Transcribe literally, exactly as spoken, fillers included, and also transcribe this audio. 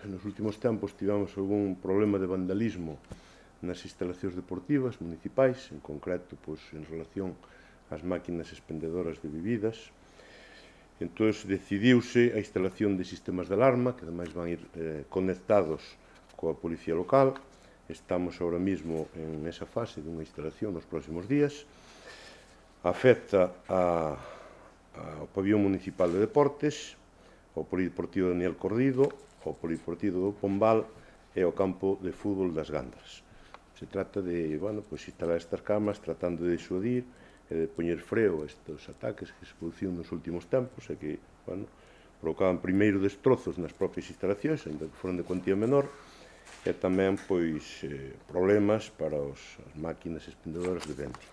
nos últimos tempos tivemos algún problema de vandalismo nas instalacións deportivas municipais, en concreto, pois, en relación ás máquinas expendedoras de bebidas. Entón, decidiuse a instalación de sistemas de alarma, que ademais van ir eh, conectados coa policía local. Estamos ahora mismo en esa fase dunha instalación nos próximos días. Afecta a, ao pabillón municipal de deportes, ao polideportivo Daniel Cordido, ao polideportivo do Pombal e ao campo de fútbol das Gandras. Se trata de, bueno, pues, instalar estas cámaras tratando de disuadir e de poñer freo a estes ataques que se produciron nos últimos tempos e que, bueno, provocaban primeiro destrozos nas propias instalacións, ainda que foran de cuantía menor, e tamén, pois, eh, problemas para os, as máquinas expendedoras de vento.